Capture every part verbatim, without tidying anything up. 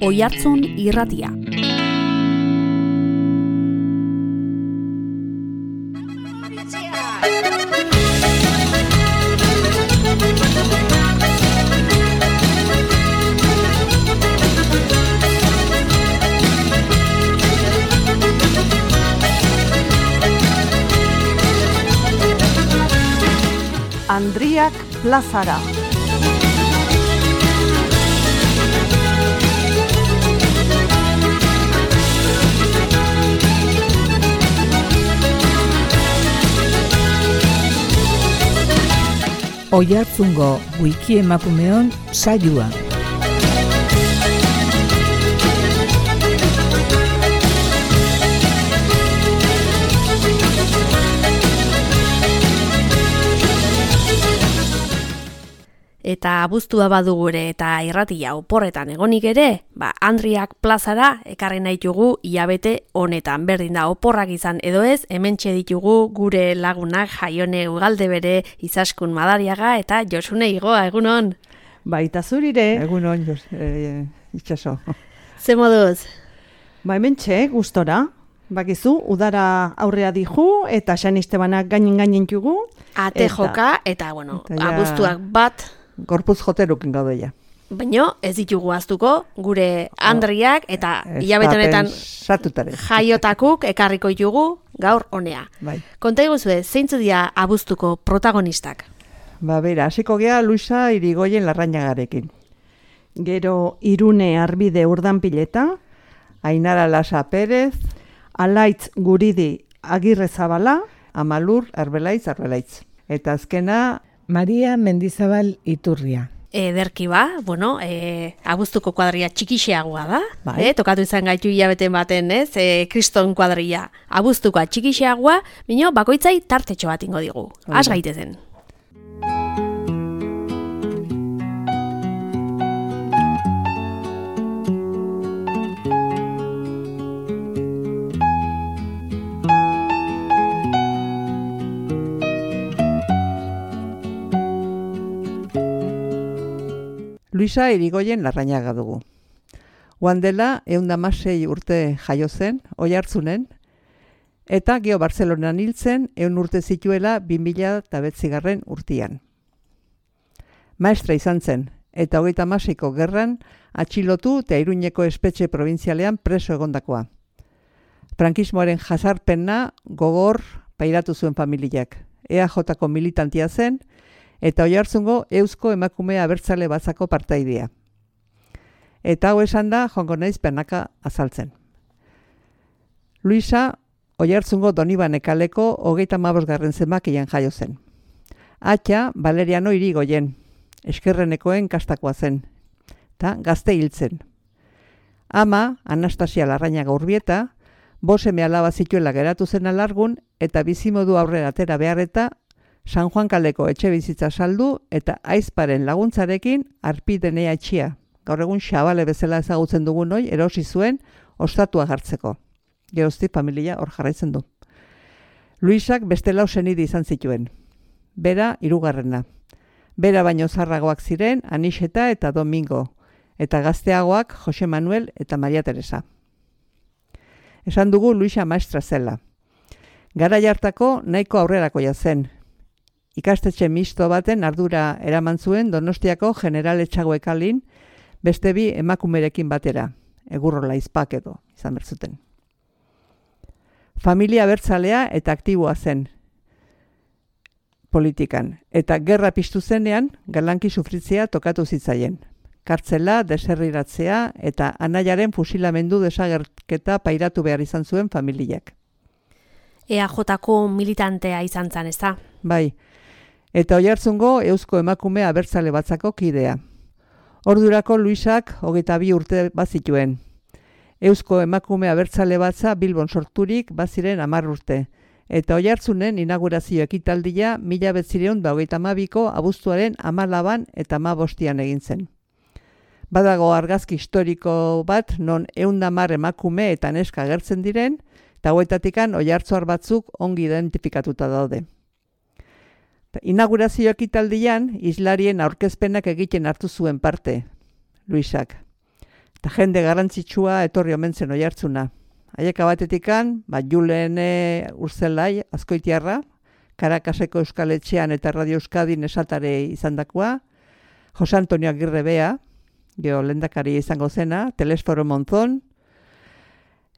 Oihartzun Irratia. Andriak plazara. Oihartzungo wiki emakumeon saioa. Eta abuztua badu gure eta irratia oporretan egonik ere, ba, Andriak plazara ekarri nahi dugu hilabete honetan. Berdin da, oporrak izan edo ez, hementxe ditugu gure lagunak Jaione Ugaldebere, Izaskun Madariaga eta Josune Igoa, egunon? Baita zurire. Egunon, e, itxaso. Ze moduz? Ba, hementxe, gustora. Bakizu, udara aurrea dihu eta San Estebanak gainin-gainin jugu. Ate joka eta, bueno, Eta ja- abuztuak bat... Gorpuz joterukin gaude ja. Baina ez ditugu aztuko, gure Andriak eta hilabete honetan Satutare. jaiotakuk ekarriko ditugu gaur honea. Bai. Konta iguzue, zeintzu dira abuztuko protagonistak? Ba, bera, hasiko gea Luisa Irigoyen Larrañagarekin. Gero Irune Arbide Urdanpileta, Ainara Lasa Pérez, Alaitz Guridi Agirre Zabala, Amalur Arbelaitz Arbelaitz. Eta azkena, Maria Mendizabal Iturria. Ederki ba, bueno, e, abuztuko kuadria txikixeagoa da, Bai. e, tokatu izan gaitu hilabeten baten, ez, e, kriston kuadria abuztukoa txikixeagoa, bino bakoitzai tartetxo bat ingo digu, has gaitezen. Luisa Irigoyen Larrañaga dugu. Oan dela, eundamasei urte jaio zen, Oihartzunen, eta geo Bartzelonan hiltzen, eun urte zituela bi mila bederatzigarren urtian. Maestra izan zen, eta hogeita hamaseiko gerran atxilotu eta Iruñeko espetxe probintzialean preso egondakoa. Frankismoaren jazarpena gogor pairatu zuen familiak. E A Jko militantia zen, eta Oihartzungo Eusko Emakume Abertzale Batzako partaidea. Eta hau esan da, joango naiz penaka azaltzen. Luisa Oihartzungo Donibane kaleko hogeita hamabosgarren zenbakian jaio zen. Atxa Valeriano Irigoyen, eskerrenekoen kastakoa zen, eta gazte hiltzen. Ama, Anastasia Larrañaga Urbieta, bost seme alaba zituela geratu zen alargun, eta bizimodu aurrera atera beharreta, San Juan kaleko etxe bizitza saldu eta aizparen laguntzarekin Arpidenea etxia. Gaur egun Xabale bezala ezagutzen dugun hoi erosi zuen ostatua jartzeko. Geroztik familia hor jarraitzen du. Luisak beste lau senide izan zituen. Bera hirugarrena. Bera baino zarragoak ziren Anixeta eta Domingo, eta gazteagoak Jose Manuel eta Maria Teresa. Esan dugu Luisa maestra zela. Garai hartako nahiko aurrerakoia zen. Ikastetxe misto baten ardura eraman zuen Donostiako General Etxagoekalin beste bi emakumerekin batera, Egurrola Izpak edo izan bertzuten. Familia abertzalea eta aktiboa zen politikan, eta gerra piztu zenean galanki sufritzea tokatu zitzaien. Kartzela, deserriratzea eta anaiaren fusilamendu desagerketa pairatu behar izan zuen familiak. E A Jko militantea izan zan, ez da? Bai, eta Oihartzungo Eusko Emakume Abertzale Batzako kidea. Ordurako Luisak hogeita bi urte bazituen. Eusko Emakume Abertzale Batza Bilbon sorturik baziren hamar urte, eta Oihartzunen inaugurazio ekitaldia mila bederatziehun eta hogeita hamabiko abuztuaren hamalaban eta hamabostian egin zen. Badago argazki historiko bat non ehun eta hamar emakume eta neska agertzen diren, eta hauetatikan oihartzuar batzuk ongi identifikatuta daude. Inaugurazio ekitaldian islarien aurkezpenak egiten hartu zuen parte, Luisak. Eta jende garrantzitsua etorri omen zen Oiartzuna. Haieka batetikan, ba, Julen Urzelai, Azkoitiarra, Karakaseko Euskal Etxean eta Radio Euskadin esatare izandakoa, Jose Antonio Agirre Bea, geho lehendakari izango zena, Telesforo Monzon,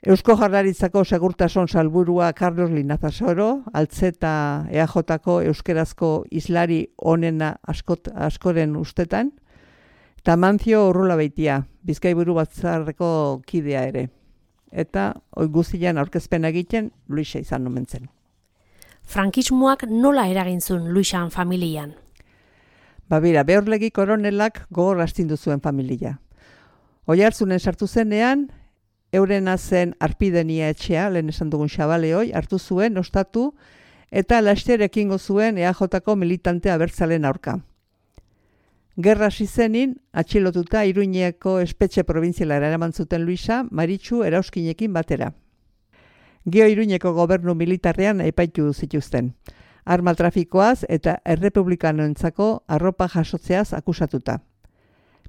Eusko Jaurlaritzako Segurtasun Salburua Carlos Linazasoro, Altzeta E A Jko euskerazko islari onena askot, askoren ustetan, eta Mancio Urrulabeitia, Bizkaiburu Batzarreko kidea ere. Eta oi guztian aurkezpena egiten Luisa izan omen zen. Frankismoak nola eragin zuen Luisan familian? Ba bera, Behorlegi koronelak gogor astindu zuen familia. Oiartzunen sartu zenean, eurena zen Arpidenia etxea, lehen esan dugun xabaleoi, hartu zuen, ostatu, eta laster ekingo zuen E A Jko militante abertzalen aurka. Gerra hasi zenin, atxilotuta Iruñeko espetxe probintzialara eraman zuten Luisa, Maritxu erauskinekin batera. Geo Iruñeko gobernu militarrean epaitu zituzten. Arma trafikoaz eta errepublikanoentzako arropa jasotzeaz akusatuta.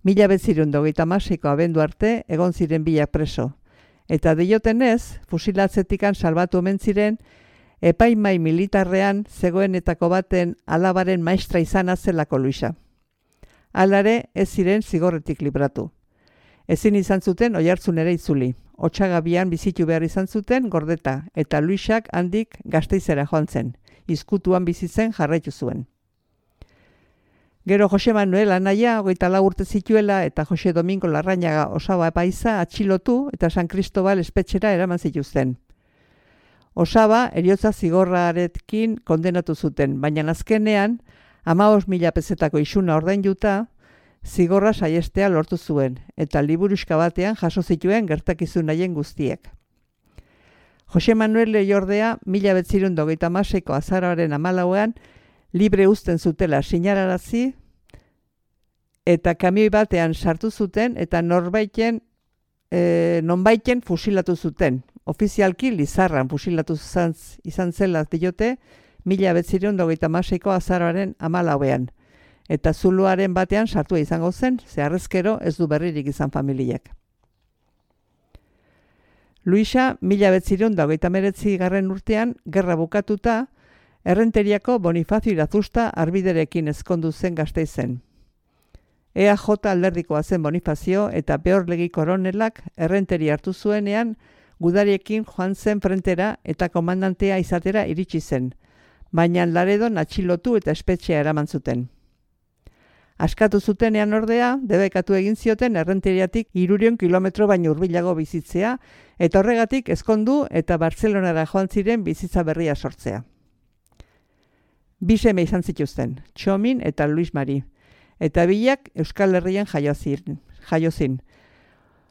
Mila betzirun dogeita masiko abendu arte egon ziren bilak preso. Eta diotenez, fusilatzetikan salbatu omen ziren, epaimai militarrean zegoenetako baten alabaren maestra izana zelako Luisa. Alare ez ziren zigorretik libratu. Ezin izan zuten Oiartzunera itzuli. Otsagabian bizitu behar izan zuten gordeta, eta Luisak handik Gasteizera joan zen. Izkutuan bizitzen jarraitu zuen. Gero Jose Manuel anaia, hogeita lau urte zituela, eta Jose Domingo Larrañaga Osaba epaiza atxilotu eta San Cristobal espetxera eraman zituzten. Osaba eriotza zigorrarekin kondenatu zuten, baina azkenean, hamabost mila pezetako isuna ordainduta, zigorra saiestea lortu zuen, eta liburuxka batean jaso zituen gertakizun nahien guztiek. Jose Manuel Leiordea, mila betzirun dogeita maseiko azaroaren amalauean, libre uzten zutela sinararazi, eta kamioi batean sartu zuten, eta norbaiten, e, nonbaiten fusilatu zuten. Ofizialki Lizarran fusilatu izan, izan zela diote, mila betzirun dogeita maseiko azaroaren amalauean. Eta zuluaren batean sartua izango zen, zeharrezkero ez du berririk izan familiak. Luisa, mila betzirun dogeita meretzi garren urtean, gerra bukatuta, Errenteriako Bonifazio Irazusta arbiderekin ezkondu zen Gasteizen. E A J alderdikoa zen Bonifazio eta Behorlegi koronelak errenteri hartu zuenean, gudariekin joan zen frentera eta komandantea izatera iritsi zen, baina Laredon atxilotu eta espetxea eraman zuten. Askatu zutenean ordea, debekatu egin zioten errenteriatik hirurehun kilometro baino hurbilago bizitzea, eta horregatik ezkondu eta Bartzelonara joan ziren bizitza berria sortzea. Bi seme izan zituzten, Txomin eta Luis Mari, eta bilak Euskal Herrian jaiozin.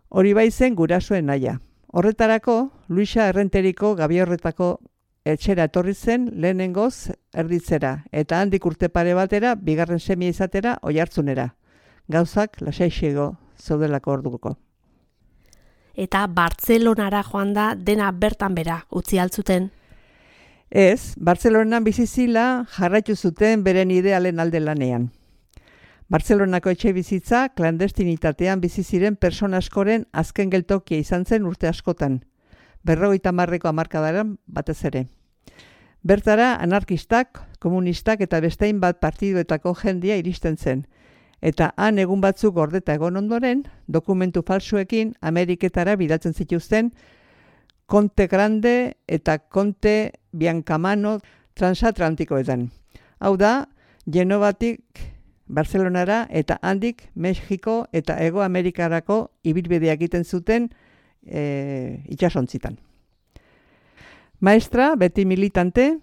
Hori bai zen gurasoen naia. Horretarako, Luisa errenteriko Gabiorretako etxera etorri zen lehenengoz erditzera, eta handik urte pare batera, bigarren semia izatera, Oiartzunera. Gauzak lasaixego zeudelako orduko. Eta Bartzelonara joan da dena bertan bera utzi altzuten. Ez, Bartzelonan bizizila jarraitu zuten beren idealen alde lanean. Bartzelonako etxe bizitza klandestinitatean biziziren persona askoren azken geltokia izan zen urte askotan, berrogeita hamarreko hamarkadaran batez ere. Bertara anarkistak, komunistak eta bestein bat partiduetako jendia iristen zen, eta han egun batzuk gordeta egon ondoren, dokumentu falsuekin Ameriketara bidatzen zituzten Conte Grande eta Conte Biancamano transatlantikoetan. Hau da, Genovatik Barcelonara eta handik Mexiko eta Hego Amerikarako ibilbidea egiten zuten e, itsasontzitan. Maestra, beti militante,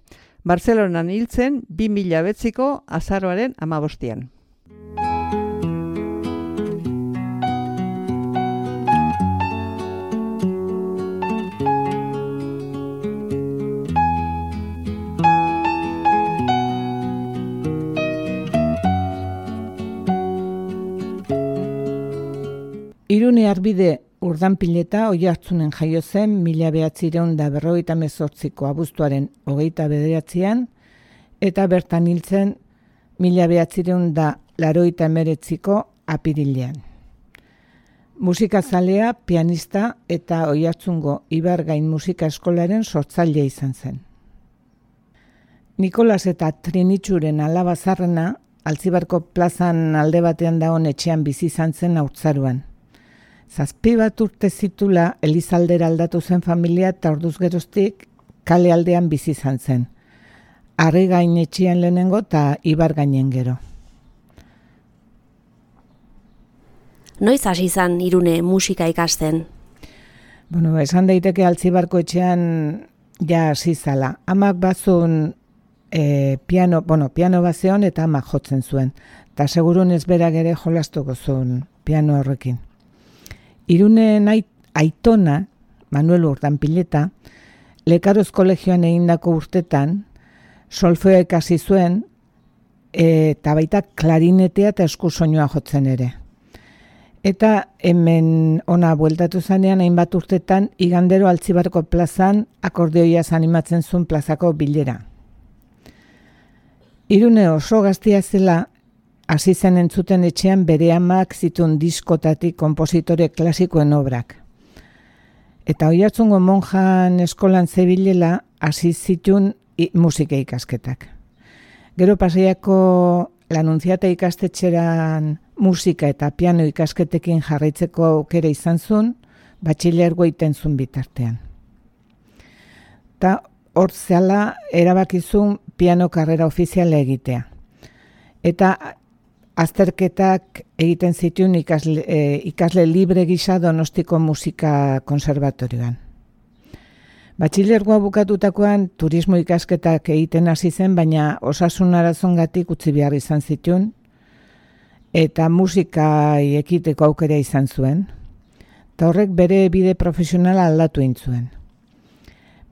Barcelonan hiltzen bi mila betziko azaroaren hamabostian. Irune Arbide Urdanpileta Oiartzunen jaio zen mila behatzireun da berrogeita hemezortziko abuztuaren hogeita bederatzian eta bertan hiltzen mila behatzireun da laurogeita hemeretziko apirilean. Musikazalea, pianista eta Oiartzungo Ibargain Musika Eskolaren sortzailea izan zen. Nikolas eta Trinitxuren alaba zarrena, Altzibarko plazan alde batean dagoen etxean bizi izan zen haurtzaroan. Zazpi bat urte zitula Elizaldera aldatu zen familia eta orduz geroztik kale aldean bizi izan zen. Harrigain etxean lehenengo eta Ibargainen gero. Noiz hasi izan Irune musika ikasten? Bueno, esan daiteke Altzibarko etxean ja hasi zala. Amak bazun e, piano, bueno, piano bazeon eta amak jotzen zuen. Eta segurun ez berak ere jolastuko zuen piano horrekin. Irune aitona, Manuel Urdanpileta, Lekaroz kolegioan egindako urtetan, solfeoa ikasi zuen eta baita klarinetea eta eskusoinua jotzen ere. Eta hemen ona bueltatu zanean hainbat urtetan igandero Altzibarko plazan akordeoiaz animatzen zuen plazako bilera. Irune oso gaztia zela hasi zen entzuten etxean bere amak zituen diskotatik konpositore klasikoen obrak. Eta Oiartzungo monjan eskolan zebilela hasi zituen musika ikasketak. Gero Pasaiako Lanunziata ikastetxeran musika eta piano ikasketekin jarraitzeko aukera izan zuen, batxilergo iten zuen bitartean. Eta hor zehala erabakizun piano karrera ofiziala egitea. Eta azterketak egiten zituen ikasle, e, ikasle libre gisa Donostiko Musika Konserbatorioan. Batxilergoa bukatutakoan turismo ikasketak egiten hasi zen, baina osasun arazongatik utzi behar izan zituen, eta musika ekiteko aukera izan zuen, eta horrek bere bide profesionala aldatu egin zuen.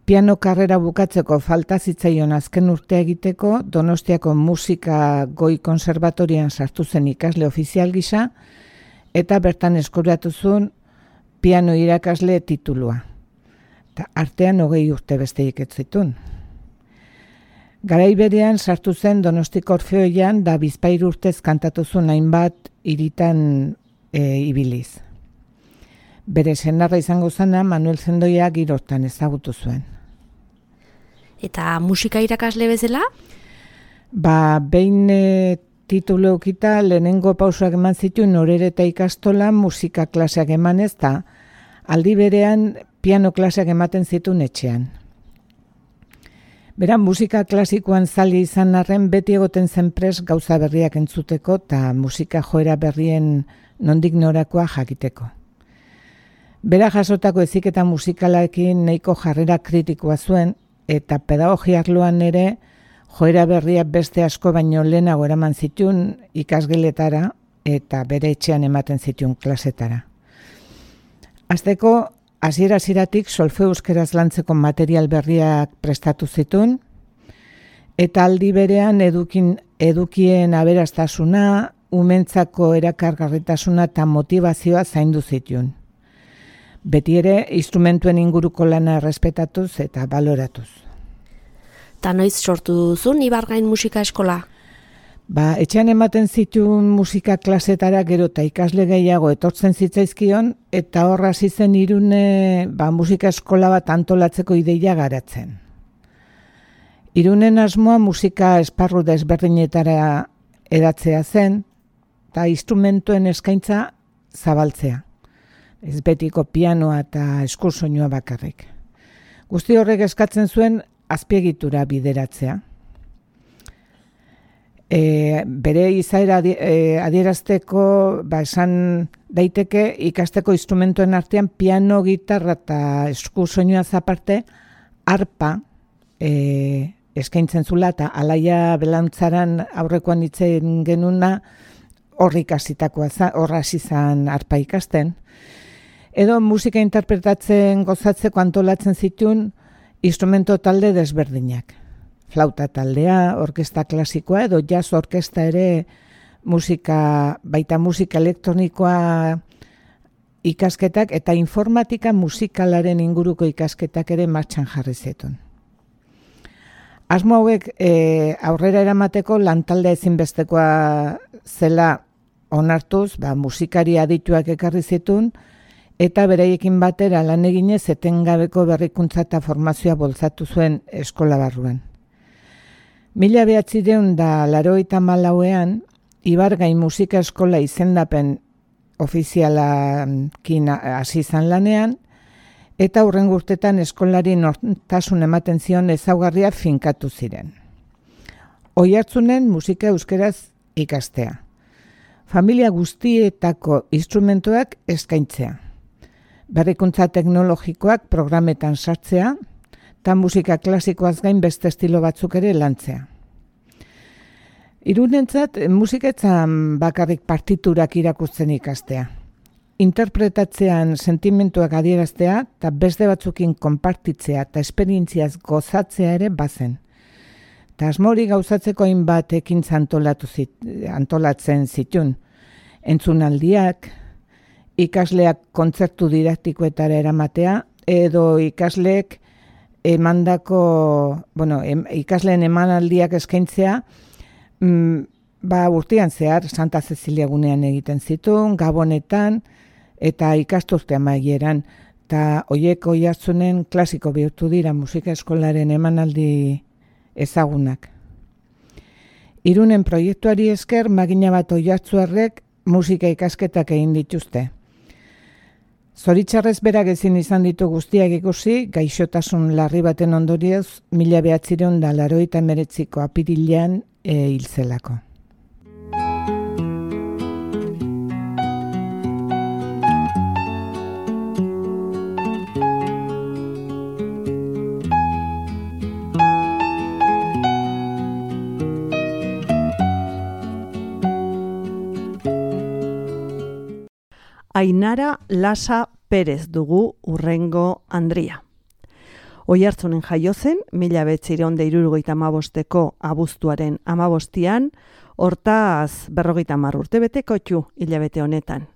Piano karrera bukatzeko falta zitzaion azken urtea egiteko, Donostiako Musika Goi Konserbatorian sartu zen ikasle ofizial gisa, eta bertan eskuratu zuen piano irakasle titulua. Eta artean hogei urte besteik ez zituen. Garai berean sartu zen Donostiko Orfeoian da bizpahiru urtez kantatu zuen hainbat hiritan e, ibiliz. Bere senarra izango zena Manuel Zendoia girortan ezagutu zuen. Eta musika irakasle bezala? Ba, behin e, titulu eukita lehenengo pausoak eman zituen Orereta ikastola musika klaseak emanez eta aldi berean piano klaseak ematen zituen etxean. Beran, musika klasikoan zali izan arren beti egoten zen prest gauza berriak entzuteko eta musika joera berrien nondik norakoa jakiteko. Bera jasotako heziketa musikalarekin nahiko jarrera kritikoa zuen eta pedagogia arloan ere joera berriak beste asko baino lehenago eraman zituen ikasgeletara eta bere etxean ematen zituen klasetara. Hasteko, hasiera-hasieratik solfeo euskeraz lantzeko material berriak prestatu zituen, eta aldi berean edukin, edukien aberastasuna, umentzako erakargarritasuna eta motivazioa zaindu zituen. Beti ere, instrumentuen inguruko lana errespetatuz eta baloratuz. Ta noiz sortu duzun Ibargain Musika Eskola? Ba, etxean ematen zituen musika klasetara gero eta ikasle gehiago etortzen zitzaizkion, eta horra hasi zen Irune ba, musika eskola bat antolatzeko ideia garatzen. Irunen asmoa musika esparru desberdinetara edatzea zen, eta instrumentuen eskaintza zabaltzea. Ez betiko pianoa eta eskursoinua bakarrik. Guzti horrek eskatzen zuen azpiegitura bideratzea. E, bere izaera e, adierazteko ba, esan daiteke ikasteko instrumentuen artean piano, gitarra eta eskusoinua aparte arpa e, eskaintzen zula eta Alaia Belantzaran aurrekoan hitzen genuna horri ikasitakoa horra hasi zen arpa ikasten. Edo musika interpretatzen gozatzeko antolatzen zituen instrumento talde desberdinak. Flauta taldea, orkesta klasikoa edo jazz orkesta ere musika, baita musika elektronikoa ikasketak eta informatika musikalaren inguruko ikasketak ere martxan jarri zituen. Asmo hauek e, aurrera eramateko lantaldea ezinbestekoa zela onartuz, ba, musikari adituak ekarri zituen, eta beraiekin batera lan eginez etengabeko berrikuntza eta formazioa bultzatu zuen eskola barruan. Mila behatzireun da laurogeita hamalauean, Ibargain musika eskola izendapen ofizialakin hasi izan lanean, eta hurrengo urtetan eskolari nortasun ematen zion ezaugarria finkatu ziren. Oiartzunen musika euskeraz ikastea. Familia guztietako instrumentuak eskaintzea. Berrikuntza teknologikoak programetan sartzea, eta musika klasikoaz gain beste estilo batzuk ere lantzea. Irunentzat musiketzan bakarrik partiturak irakurtzen ikastea. Interpretatzean sentimentuak adieraztea eta beste batzukin konpartitzea eta esperientziaz gozatzea ere bazen. Eta asmori gauzatzeko hainbat ekintza antolatu zit, antolatzen zitun. Entzunaldiak, ikasleak kontzertu didaktikoetara eramatea, edo ikasleek emandako, bueno, em, ikasleen emanaldiak eskaintzea, mm, ba urtean zehar Santa Cecilia gunean egiten zituen, Gabonetan, eta ikasturte amaieran, eta hoiek oihartzunen klasiko bihurtu dira musika eskolaren emanaldi ezagunak. Irunen proiektuari esker, magina bat oihartzuarrek musika ikasketak egin dituzte. Zoritxarrez berak ezin izan ditu guztiak ikusi, gaixotasun larri baten ondorioz, mila behatzireun da laurogeita hemeretziko apirilean e, hilzelako. Ainara Lasa Perez dugu urrengo Andria. Oiartzunen jaio zen, mila behatzireun da hirurogeita hamabosteko abuztuaren hamabostian, hortaz berrogeita hamar urte betekotxu hilabete honetan.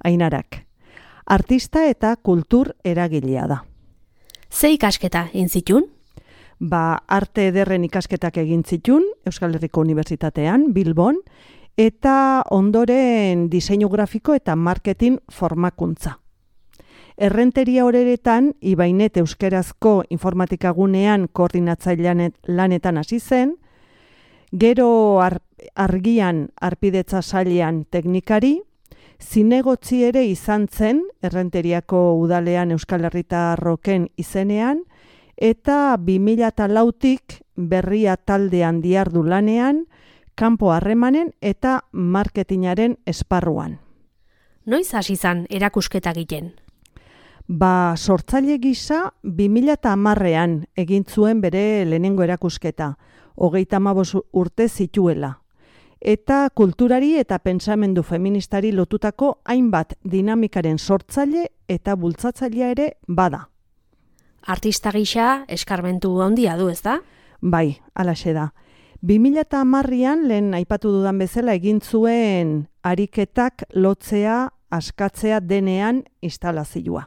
Ainarak, artista eta kultur eragilea da. Ze ikasketa egin zitun? Ba, arte ederren ikasketak egin zitun, Euskal Herriko Unibertsitatean, Bilbon, eta ondoren diseinu grafiko eta marketing formakuntza. Errenteria horeretan, Ibainet euskerazko informatikagunean koordinatzailean lanetan hasi zen, gero ar, argian arpidetza sailean teknikari, zinegotzi ere izan zen Errenteriako udalean Euskal Herritarroken izenean, eta bi mila lautik berria taldean diardu lanean, kanpo harremanen eta marketingaren esparruan. Noiz hasi zan erakusketa egiten? Ba, sortzaile gisa bi mila hamarrean egin zuen bere lehenengo erakusketa, hogeita hamabost urte zituela. Eta kulturari eta pentsamendu feministari lotutako hainbat dinamikaren sortzaile eta bultzatzailea ere bada. Artista gisa eskarmentu handia du, ezta? Bai, halaxe da. bi mila hamarrean lehen aipatu dudan bezala egin zuen ariketak lotzea, askatzea denean instalazioa.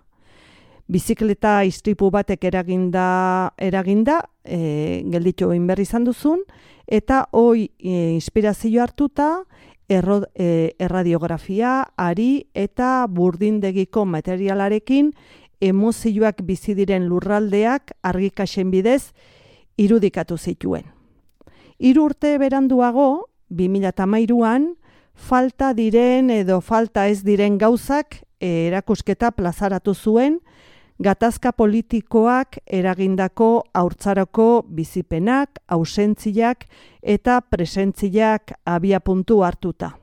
Bizikleta istripu batek eraginda, eraginda e, gelditu egin berri izan duzun, eta hoi e, inspirazio hartuta erro, e, erradiografia, ari eta burdindegiko materialarekin emozioak bizi diren lurraldeak argikasen bidez irudikatu zituen. Hiru urte beranduago, bi mila hamairuan, falta diren edo falta ez diren gauzak erakusketa plazaratu zuen, gatazka politikoak eragindako haurtzaroko bizipenak, ausentziak eta presentziak abiapuntu hartuta.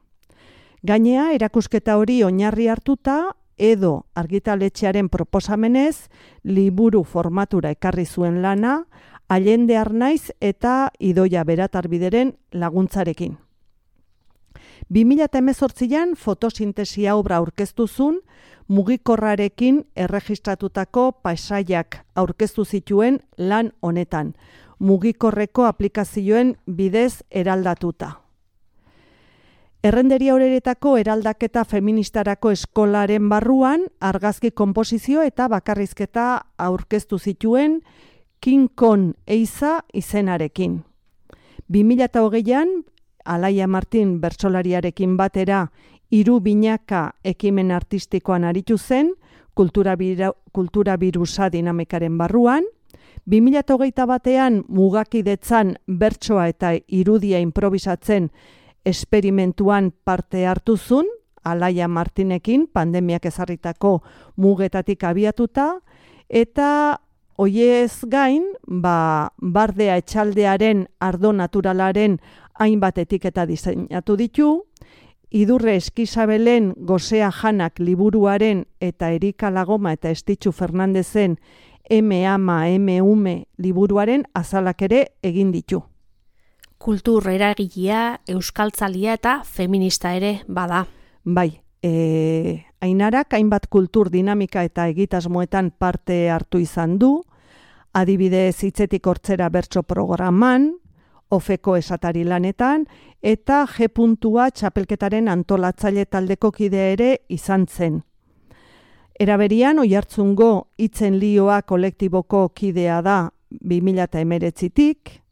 Gainea, erakusketa hori oinarri hartuta, edo argitaletxearen proposamenez, liburu formatura ekarri zuen lana, Allende Arnaiz eta Idoia Beratarbideren laguntzarekin. bi mila hemezortzian fotosintesia obra aurkeztu zuen, mugikorrarekin erregistratutako paisaiak aurkeztu zituen lan honetan, mugikorreko aplikazioen bidez eraldatuta. Errenderia horeretako eraldaketa feministarako eskolaren barruan argazki konposizio eta bakarrizketa aurkeztu zituen King Kong eiza izenarekin. bi mila hogeian, Alaia Martin bertsolariarekin batera hiru binaka ekimen artistikoan aritu zen, kultura, bira, kultura birusa dinamikaren barruan, bi mila hogeita batean mugakidetzan bertsoa eta irudia improvisatzen esperimentuan parte hartuzun, Alaia Martinekin pandemiak ezarritako mugetatik abiatuta, eta hoiez gain, ba, bardea etxaldearen ardo naturalaren hainbat etiketa diseinatu ditu, Idurre Eskizabelen Gosea Janak liburuaren eta Erika Lagoma eta Estitxu Fernandezen M ama M ume liburuaren azalak ere egin ditu. Kultur eragilea, euskaltzalia eta feminista ere bada. Bai, e, Ainarak hainbat kultur dinamika eta egitasmoetan parte hartu izan du, adibidez Hitzetik Hortzera bertso programan, Ofeko esatari lanetan, eta G puntua txapelketaren antolatzaile taldeko kide ere izan zen. Eraberian, Oiartzungo Hitzen Lioa kolektiboko kidea da bi mila hemeretzitik,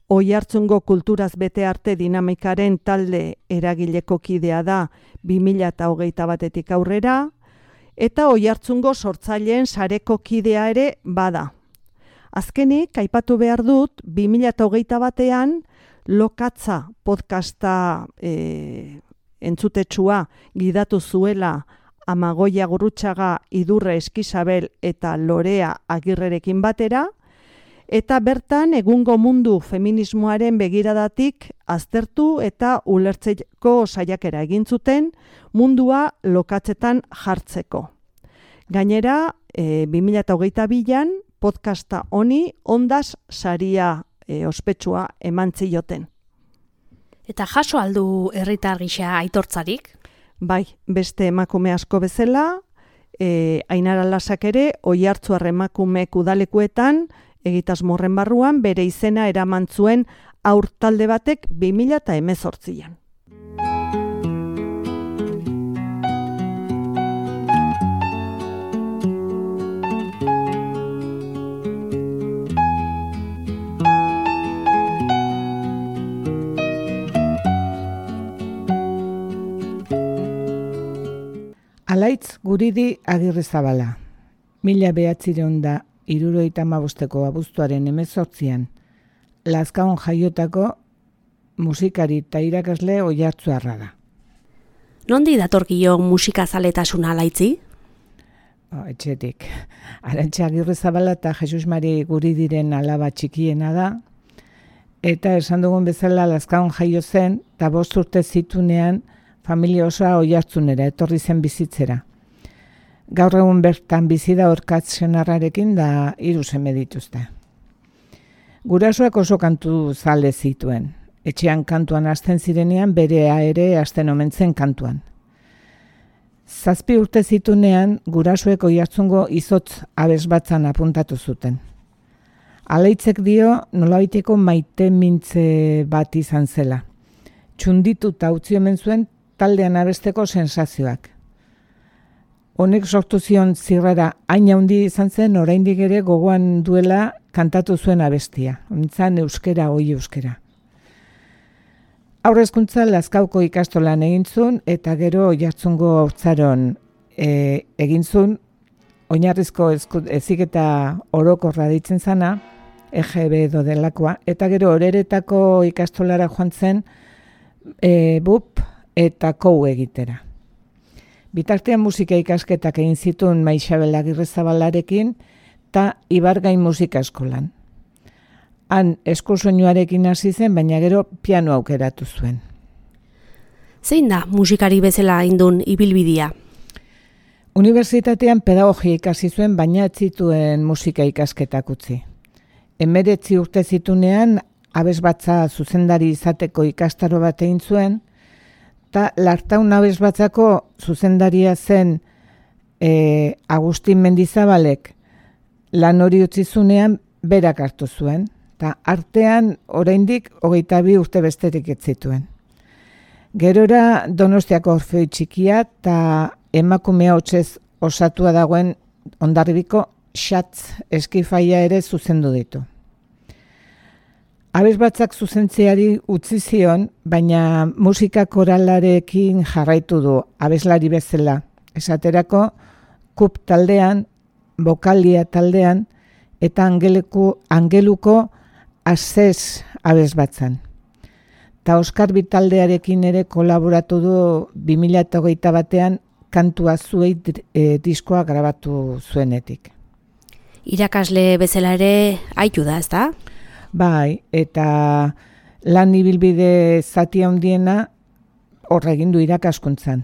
Oiartzungo Kulturaz Bete Arte dinamikaren talde eragileko kidea da bi mila hogeita batetik aurrera, eta Oiartzungo sortzaileen sareko kidea ere bada. Azkenik, aipatu behar dut, bi mila hogeita batean Lokatza podcasta e, entzutetsua gidatu zuela Amagoia Gurrutxaga, Idurre Eskizabel eta Lorea Agirrerekin batera, eta bertan egungo mundu feminismoaren begiradatik aztertu eta ulertzeko saiakera egin zuten mundua lokatzetan jartzeko. Gainera, e, bi mila hogeita bian podcasta honi Ondas saria e, ospetsua eman zioten. Eta jaso aldu herritar gisa aitortzarik? Bai, beste emakume asko bezala, e, Ainara Lasak ere Oiartzuar emakumeek udalekuetan egitasmorren barruan bere izena eraman zuen haur talde batek bi mila hemezortzian. Alaitz Guridi Agirrezabala, mila behatzireun da hirurogeita hamabosteko abuztuaren hemezortzian, Lazkaon jaiotako musikari eta irakasle oiartzuarra da. Nondi datorkio musikazaletasuna Alaitzi? O, etxetik. Arantxa Agirrezabala eta Jesus Mari Guridiren alaba txikiena da, eta esan dugun bezala Lazkaon jaio zen, eta bost urte zitunean familia osoa Oiartzunera etorri zen bizitzera. Gaur egun bertan bizi da Orkatz senarrarekin da hiru seme dituzte. Gurasoak oso kantu zale zituen. Etxean kantuan hasten zirenean berea ere hasten omen zen kantuan. Zazpi urte zitunean gurasoek Oiartzungo izotz abesbatzan apuntatu zuten. Alaitzek dio nolabaiteko maite mintze bat izan zela. Txunditu eta utzi omen zuen taldean abesteko sensazioak. Honek sortu zion zirrara hain handi izan zen oraindik ere gogoan duela kantatu zuen abestia. Ontzan euskera, oi euskera. Haurrezkuntza Lazkauko ikastolan egin zuen eta gero Oiartzungo haurtzaron e, egin zuen oinarrizko heziketa orokorra deitzen zana, E G B edo delakoa, eta gero Oreretako ikastolara joan zen e, B U P eta kou egitera. Bitartean musika ikasketak egin zituen Maixabel Agirrezabalarekin eta Ibargain musika eskolan. Han eskusoinuarekin hasi zen, baina gero piano aukeratu zuen. Zein da musikari bezala indun ibilbidia? Unibertsitatean pedagogia ikasi zuen, baina ez zituen musika ikasketak utzi. Hemeretzi urte zitunean abesbatza zuzendari izateko ikastaro bat egin zuen, eta Lartaun abesbatzako zuzendaria zen e, Agustin Mendizabalek lan hori utzizunean berak hartu zuen, eta artean oraindik hogeita bi urte besterik ez zituen. Gerora Donostiako Orfeoi Txikia eta emakumea hotsez osatua dagoen Hondarribiko Xatz eskifaia ere zuzendu ditu. Abesbatzak zuzentzeari utzi zion, baina musika koralarekin jarraitu du abeslari bezala. Esaterako, kup taldean, bokalia taldean, eta angeleku, angeluko azez abesbatzan. Ta Oskar Bitaldearekin ere kolaboratu du bi mila hogeita batean kantua zuei e, diskoa grabatu zuenetik. Irakasle bezala ere aitu da, ezta? Bai, eta lan ibilbide zati handiena horra egin du irakaskuntzan.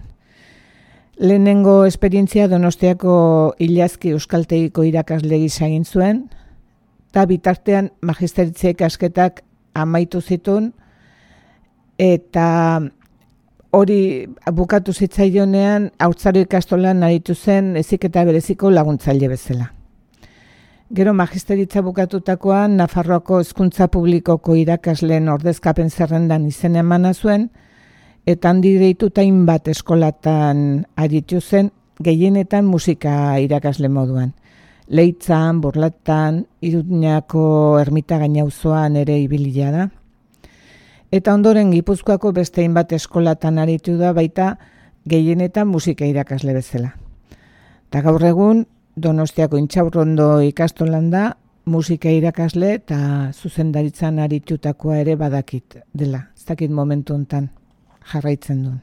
Lehenengo esperientzia Donostiako Ilazki Euskaltegiko irakasle gisa egin zuen, eta bitartean magisteritza ikasketak amaitu zituen, eta hori bukatu zitzaionean haurtzaro ikastolan aritu zen heziketa bereziko laguntzaile bezala. Gero magisteritza bukatutakoan Nafarroako Hezkuntza Publikoko irakasleen ordezkapen zerrendan izena emana zuen, eta handi deituta hainbat eskolatan aritu zen, gehienetan musika irakasle moduan. Leitzan, Burlatan, Iruñako Ermita Gainauzoan ere ibilia da. Eta ondoren Gipuzkoako beste hainbat eskolatan aritu da baita gehienetan musika irakasle bezala. Eta gaur egun Donostiako Intxaurrondo ikastolan da musika irakasle eta zuzendaritzan aritutakoa ere badakit dela. Ez dakit momentu hontan jarraitzen duen.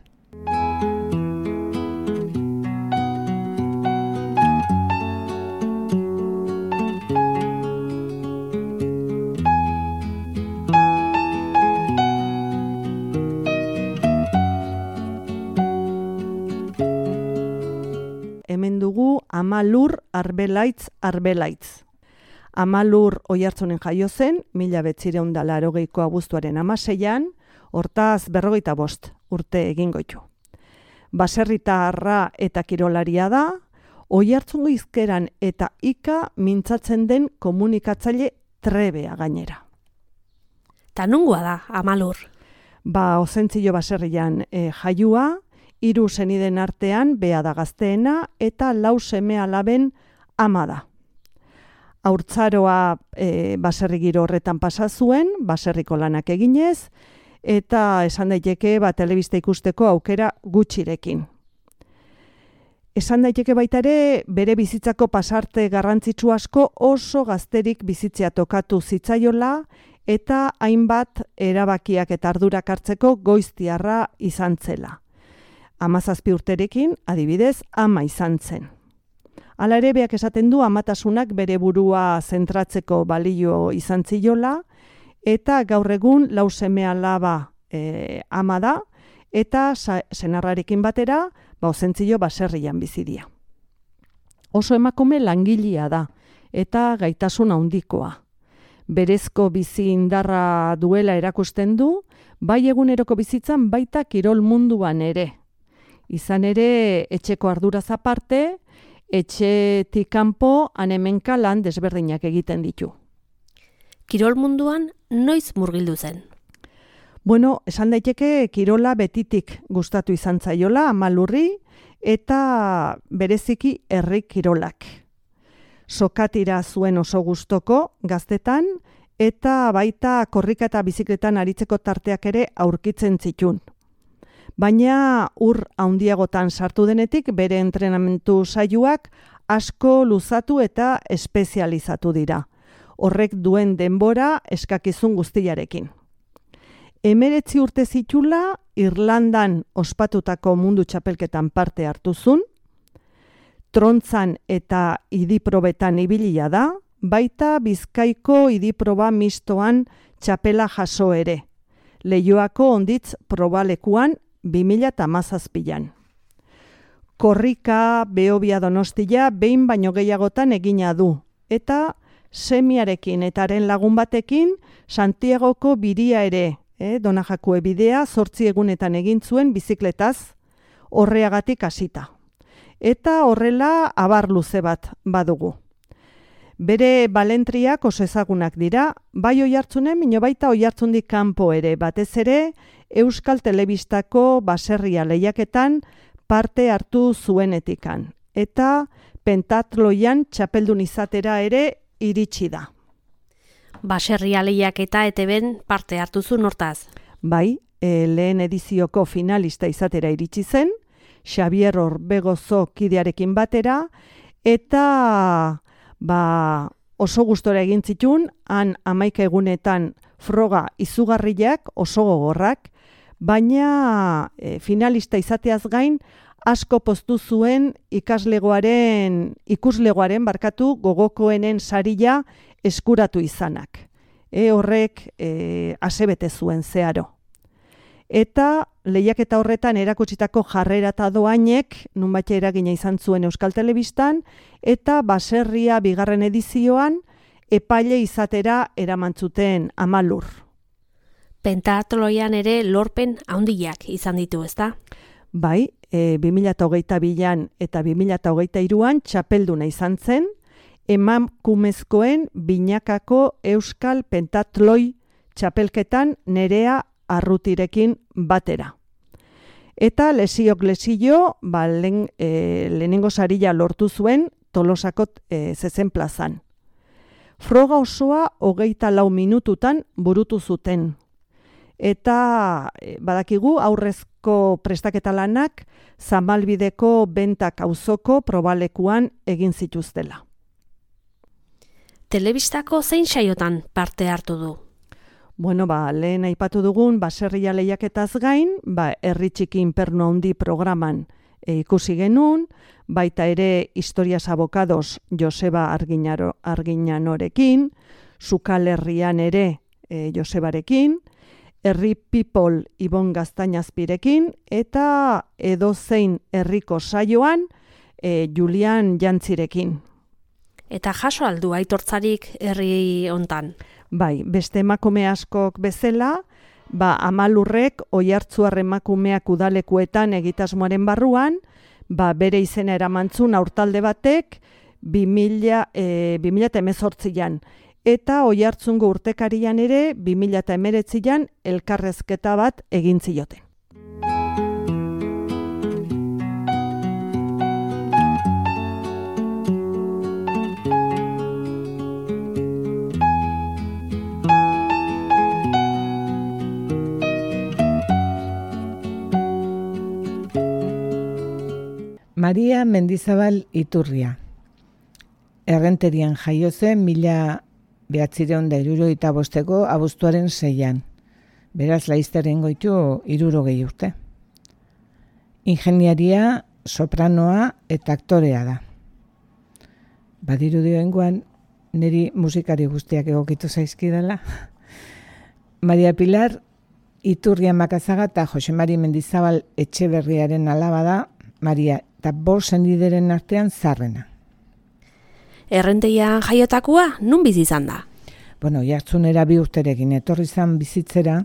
Hemen dugu Amalur Arbelaitz Arbelaitz. Amalur Oiartzunen jaio zen, mila bederatziehun eta laurogeiko abuztuaren hamaseian, hortaz berrogeita bost urte egingo ditu. Baserritarra eta kirolaria da, Oiartzungo hizkeran eta ika mintzatzen den komunikatzaile trebea gainera. Ta nungoa da, Amalur? Ba, Ozentzio baserrian e, jaiua, hiru seniden artean bea da gazteena eta lau seme alaben ama da. Haurtzaroa e, baserri giro horretan pasa zuen, baserriko lanak eginez, eta esan daiteke ba, telebista ikusteko aukera gutxirekin. Esan daiteke baita ere, bere bizitzako pasarte garrantzitsu asko oso gazterik bizitzea tokatu zitzaiola, eta hainbat erabakiak eta ardurak hartzeko goiztiarra izan zela. Hamazazpi urterekin, adibidez, ama izan zen. Hala ere, beak esaten du amatasunak bere burua zentratzeko balio izan ziola, eta gaur egun lau seme alaba e, ama da, eta senarrarekin batera, ba, Ozentzio baserrian bizidia. Oso emakume langilea da, eta gaitasun handikoa. Berezko bizi indarra duela erakusten du, bai eguneroko bizitzan baita kirol munduan ere. Izan ere, etxeko arduraz aparte, etxetik kanpo han-hemenka lan desberdinak egiten ditu. Kirol munduan noiz murgildu zen? Bueno, esan daiteke kirola betitik gustatu izan zaiola Amalurri eta bereziki herri kirolak. Sokatira zuen oso gustoko gaztetan eta baita korrika eta bizikletan aritzeko tarteak ere aurkitzen zitun. Baina ur handiagotan sartu denetik bere entrenamentu saioak asko luzatu eta espezializatu dira. Horrek duen denbora eskakizun guztiarekin. Hemeretzi urte zitula Irlandan ospatutako mundu txapelketan parte hartu zuen, trontzan eta idiprobetan ibilia da, baita Bizkaiko idiproba mistoan txapela jaso ere. Leioako onditz probalekuan bi mila hamazazpian. Korrika, Behobia Donostia behin baino gehiagotan egina du, eta semiarekin eta haren lagun batekin Santiagoko biria ere, eh, Donajakue bidea zortzi egunetan egin zuen bizikletaz, horreagatik hasita. Eta horrela abar luze bat badugu. Bere balentriak oso ezagunak dira, bai Oiartzunen, mino baita Oiartzundik kanpo ere, batez ere Euskal Telebistako baserria lehiaketan parte hartu zuenetikan. Eta pentatloian txapeldun izatera ere iritsi da. baserria lehiaketa E T Bn parte hartu zuen hortaz. Bai, e, lehen edizioko finalista izatera iritsi zen, Xabier Orbegozo kidearekin batera, eta ba, oso gustora egin zitun, han hamaika egunetan froga izugarriak, oso gogorrak, baina e, finalista izateaz gain, asko poztu zuen ikaslegoaren, ikuslegoaren barkatu gogokoenen saria eskuratu izanak. E, horrek e, asebete zuen zeharo. Eta lehiaketa horretan erakutsitako jarrera eta doainek nunbait eragina izan zuen Euskal Telebistan, eta baserria bigarren edizioan epaile izatera eramantzuten Amalur. Pentatloian ere lorpen handiak izan ditu, ezta? Bai, e, bi mila hogeita bian eta bi mila hogeita hiruan txapelduna izan zen, emakumezkoen binakako Euskal Pentatloi txapelketan Nerea Arrutirekin batera. Eta lesiok lesio, ba, lehen, e, lehenengo sarila lortu zuen Tolosako e, zezen plazan. Froga osoa hogeita lau minututan burutu zuten. Eta e, badakigu aurrezko prestaketa lanak Zamalbideko Bentak auzoko probalekuan egin zituztela. Telebistako zein saiotan parte hartu du? Bueno, ba, lehen aipatu dugun baserria lehiaketaz gain, ba, herri txiki inpernu handi programan e, ikusi genuen, baita ere Historias Abokados Joseba Arginaro, Arginanorekin, Sukal Herrian ere e, Josebarekin, Herri People Ibon Gaztainazpirekin, eta edozein herriko saioan e, Julian Jantzirekin. Eta jaso aldu aitortzarik herri hontan? Bai, beste emakume askok bezala, ba, Amalurrek Oiartzuar emakumeak udalekuetan egitasmoaren barruan, ba, bere izena eramantzun aurtalde batek bi mila hemezortzian. Eta Oiartzungo urtekarian ere bi mila hemeretzian elkarrezketa bat egin zioten. Maria Mendizabal Iturria. Errenterian jaio zen mila behatzireun da hirurogeita bosteko abuztuaren seian. Beraz, laizteren goitu hirurogei urte. Ingeniaria, sopranoa eta aktorea da. Badiru dioengoan, niri musikari guztiak egokitu zaizkidala. Maria Pilar Iturria Makazaga eta Jose Mari Mendizabal Etxeberriaren alaba da, Maria eta bost sendideren artean zarrena. Errenteian jaiotakoa, nun bizi izan da? Bueno, Oiartzunera bi urterekin etorri zan bizitzera,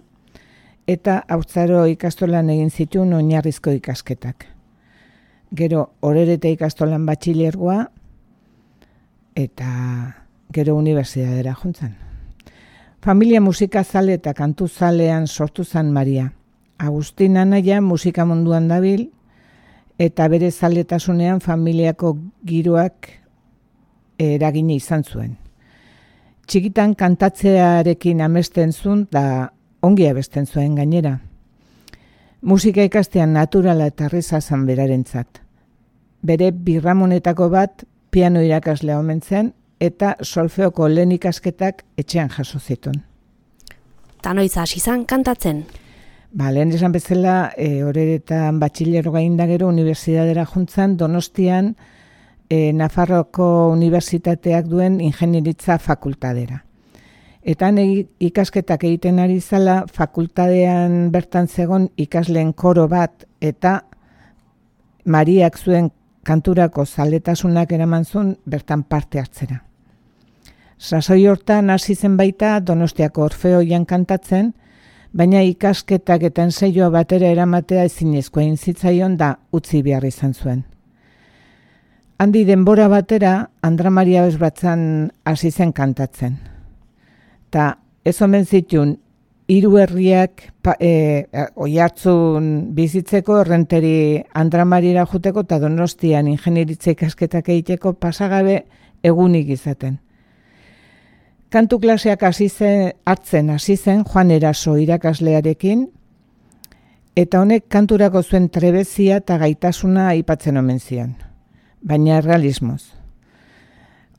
eta haurtzaro ikastolan egin zituen oinarrizko ikasketak. Gero, Orerete ikastolan batxilergoa, eta gero unibertsitatera juntzan. Familia musikazale eta kantuzalean sortu zan Maria. Agustin anaia musika munduan dabil, eta bere zaletasunean familiako giroak eragina izan zuen. Txikitan kantatzearekin amesten zuen, da ongi abesten zuen gainera. Musika ikastean naturala eta erreza zan berarentzat. Bere birramonetako bat piano irakaslea omen zen, eta solfeoko lehen ikasketak etxean jaso zituen. Ta noiz hasi zan kantatzen? Ba, lehen esan bezala, e, Oreretan batxilergo gainda gero unibertsitatera juntzan, Donostian e, Nafarroko Unibertsitateak duen ingenieritza fakultadera. Eta ikasketak egiten ari zala, fakultadean bertan zegon ikasleen koro bat, eta Mariak zuen kanturako zaletasunak eraman zuen bertan parte hartzera. Sasoi hortan hasi zen baita Donostiako Orfeoian kantatzen, baina ikasketak eta ensaioa batera eramatea ezinezkoa egin zitzaion da utzi behar izan zuen. Handi denbora batera Andra Maria Bezbatzan hasi zen kantatzen. Ta ez omen zituen hiru herriak e, Oiartzun bizitzeko Errenteri Andra Mariara juteko eta Donostian ingenieritza ikasketak egiteko pasagabe egunik izaten. Kantu klaseak hasi zen, hartzen hasi zen Juan Eraso irakaslearekin, eta honek kanturako zuen trebezia eta gaitasuna aipatzen omen zion, baina realismoz.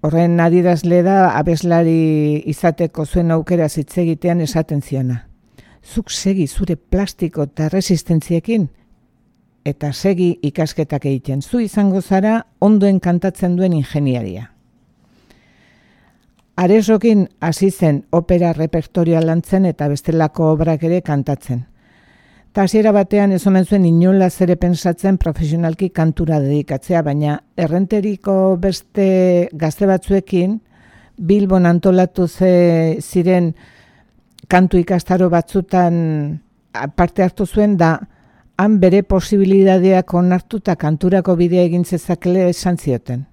Horren adierazle da abeslari izateko zuen aukera hitz egitean esaten ziona. Zuk segi zure plastiko eta resistentziekin, eta segi ikasketak egiten. Zu izango zara ondoen kantatzen duen ingeniaria. Aresokin hasi zen opera repertorioa lantzen eta bestelako obrak ere kantatzen. Ta hasiera batean ez omen zuen inolaz ere pentsatzen profesionalki kantura dedikatzea, baina errenteriko beste gazte batzuekin Bilbon antolatu ze ziren kantu ikastaro batzutan parte hartu zuen da han bere posibilidadeak onartuta kanturako bidea egin zezakele esan zioten.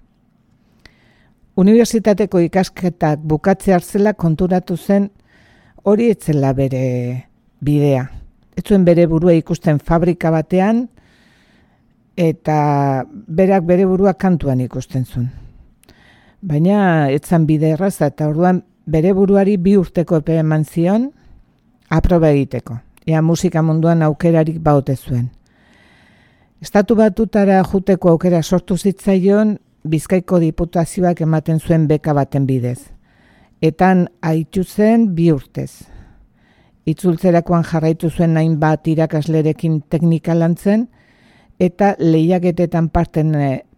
Unibertsitateko ikasketak bukatze hartzela konturatu zen hori etzela bere bidea. Ez zuen bere burua ikusten fabrika batean eta berak bere burua kantuan ikusten zuen. Baina etzan bide erraza eta orduan bere buruari bi urteko epe eman zion aproba egiteko. Ea musika munduan aukerarik baute zuen. Estatu Batutara juteko aukera sortu zitzaion Bizkaiko diputazioak ematen zuen beka baten bidez. Etan haitu zen bi urtez. Itzultzerakoan jarraitu zuen hainbat irakaslerekin teknika lantzen eta lehiaketetan parten,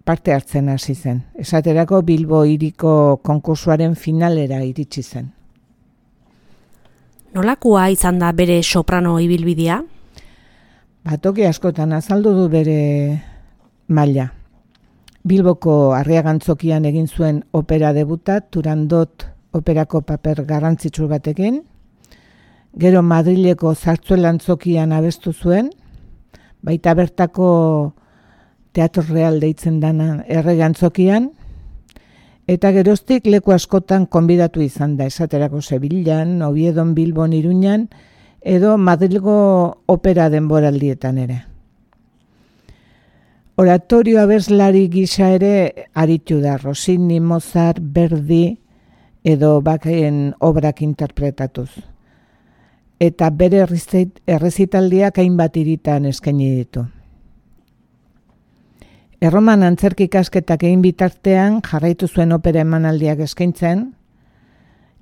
parte hartzen hasi zen. Esaterako Bilbo hiriko konkursuaren finalera iritsi zen. Nolakoa izan da bere soprano ibilbidea? Batoki askotan azaldu du bere maila. Bilboko Arriagantzokian egin zuen opera debuta, Turandot operako paper garrantzitsu batekin. Gero Madrileko Zartzuelantzokian abestu zuen, baita bertako Teatro Real deitzen dana Erregantzokian, eta geroztik leku askotan konbidatu izan da, esaterako Sevillan, Oviedon, Bilbon, Iruñan, edo Madrilgo opera denboraldietan ere. Oratorio abeslari gisa ere aritu da, Rossini, Mozart, Verdi edo Bachen obrak interpretatuz. Eta bere errezitaldiak hainbat hiritan eskaini ditu. Erroman antzerki ikasketak egin bitartean jarraitu zuen opera emanaldiak eskaintzen,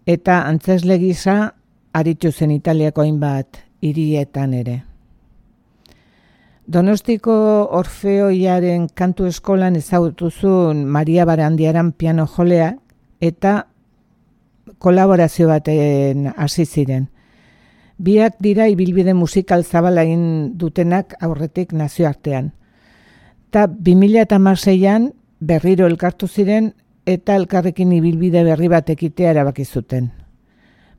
eta antzesle gisa aritu zen Italiako hainbat hirietan ere. Donostiko Orfeoiaren kantu eskolan ezagutu zuen Maria Barandiaran piano jolea eta kolaborazio baten hasi ziren. Biak dira ibilbide musikal zabala egin dutenak aurretik nazioartean. Ta bi mila hamaseian berriro elkartu ziren eta elkarrekin ibilbide berri bat ekitea erabaki zuten.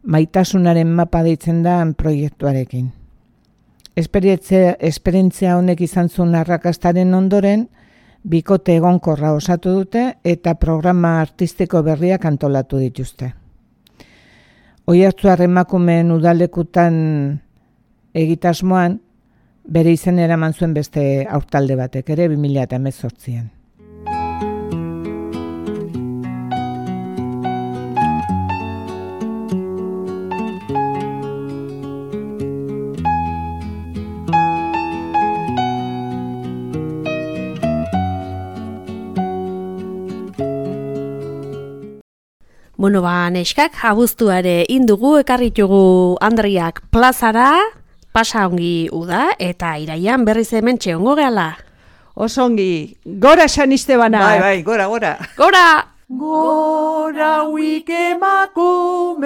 Maitasunaren mapa deitzen da proiektuarekin. Esperientzia, esperientzia honek izan zuen arrakastaren ondoren, bikote egonkorra osatu dute eta programa artistiko berriak antolatu dituzte. Oiartzuar emakumeen udalekutan egitasmoan, bere izen eraman zuen beste aurtalde batek ere bi mila hemezortzian. Bueno, ba, neskak, abuztuare indugu, ekarritugu Andriak plazara, pasa ongi uda, eta iraian berriz hemen txeongo gehala. Osongi, gora San Estebanak! Bai, bai, gora, gora! Gora! Gora huik emakumeok,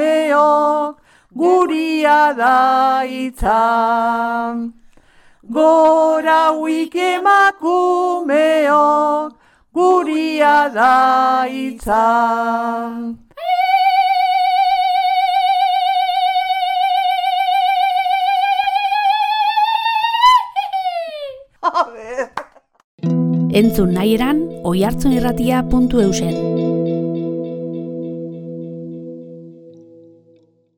guria da itzan. Gora huik emakumeok, guria da itzan. Entzun nahi eran, oihartzunirratia puntu eusen.